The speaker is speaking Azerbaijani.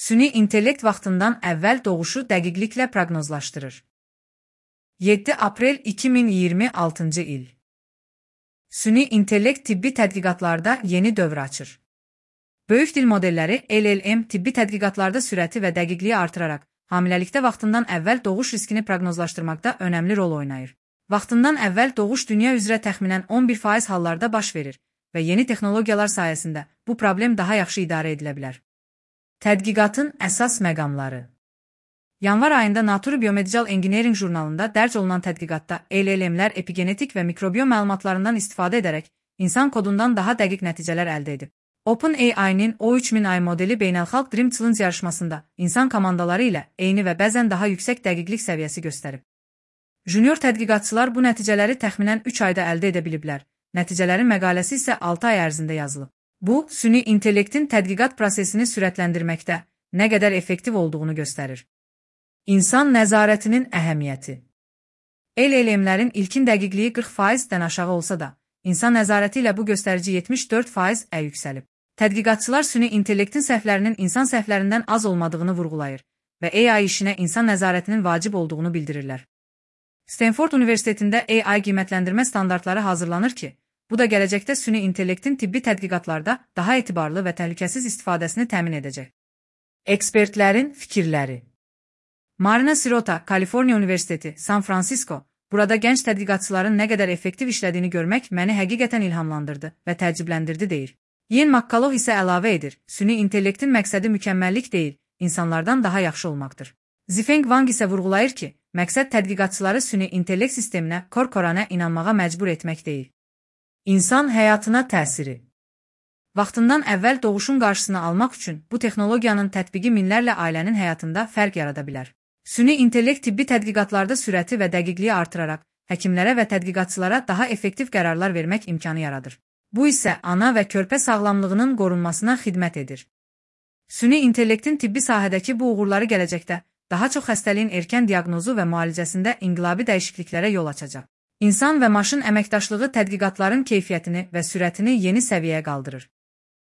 Süni intellekt vaxtından əvvəl doğuşu dəqiqliklə proqnozlaşdırır. 7 aprel 2026-cı il. Süni intellekt tibbi tədqiqatlarda yeni dövr açır. Böyük dil modelləri LLM tibbi tədqiqatlarda sürəti və dəqiqliyi artıraraq, hamiləlikdə vaxtından əvvəl doğuş riskini proqnozlaşdırmaqda önəmli rol oynayır. Vaxtından əvvəl doğuş dünya üzrə təxminən 11% hallarda baş verir və yeni texnologiyalar sayəsində bu problem daha yaxşı idarə edilə bilər. Tədqiqatın əsas məqamları. Yanvar ayında Nature Biomedical Engineering jurnalında dərc olunan tədqiqatda LLM-lər epigenetik və mikrobiom məlumatlarından istifadə edərək insan kodundan daha dəqiq nəticələr əldə edib. OpenAI-nin O3000i modeli beynəlxalq Dream Challenge yarışmasında insan komandaları ilə eyni və bəzən daha yüksək dəqiqlik səviyyəsi göstərib. Junior tədqiqatçılar bu nəticələri təxminən 3 ayda əldə edə biliblər. Nəticələrin məqaləsi isə 6 ay ərzində yazılıb. Bu, süni intellektin tədqiqat prosesini sürətləndirməkdə nə qədər effektiv olduğunu göstərir. İnsan nəzarətinin əhəmiyyəti. LLM-lərin ilkin dəqiqliyi 40%-dən aşağı olsa da, insan nəzarəti ilə bu göstərici 74%-ə yüksəlib. Tədqiqatçılar süni intellektin səhvlərinin insan səhvlərindən az olmadığını vurğulayır və AI işinə insan nəzarətinin vacib olduğunu bildirirlər. Stanford Universitetində AI qiymətləndirmə standartları hazırlanır ki, bu da gələcəkdə süni intellektin tibbi tədqiqatlarda daha etibarlı və təhlükəsiz istifadəsini təmin edəcək. Ekspertlərin fikirləri. Marina Sirota, Kaliforniya Universiteti, San Francisco, burada gənc tədqiqatçıların nə qədər effektiv işlədiyini görmək məni həqiqətən ilhamlandırdı və təəccübləndirdi deyir. Ian McCullough isə əlavə edir, süni intellektin məqsədi mükəmməllik deyil, insanlardan daha yaxşı olmaqdır. Zifeng Wang isə vurğulayır ki, məqsəd tədqiqatçıları süni intellekt sisteminə, korkoranə inanmağa məcbur etmək deyil. İnsan həyatına təsiri. Vaxtından əvvəl doğuşun qarşısını almaq üçün bu texnologiyanın tətbiqi minlərlə ailənin həyatında fərq yarada bilər. Süni intellekt tibbi tədqiqatlarda sürəti və dəqiqliyi artıraraq, həkimlərə və tədqiqatçılara daha effektiv qərarlar vermək imkanı yaradır. Bu isə ana və körpə sağlamlığının qorunmasına xidmət edir. Süni intellektin tibbi sahədəki bu uğurları gələcəkdə daha çox xəstəliyin erkən diaqnozu və müalicəsində inqilabi dəyişikliklərə yol açacaq. İnsan və maşın əməkdaşlığı tədqiqatların keyfiyyətini və sürətini yeni səviyyəyə qaldırır.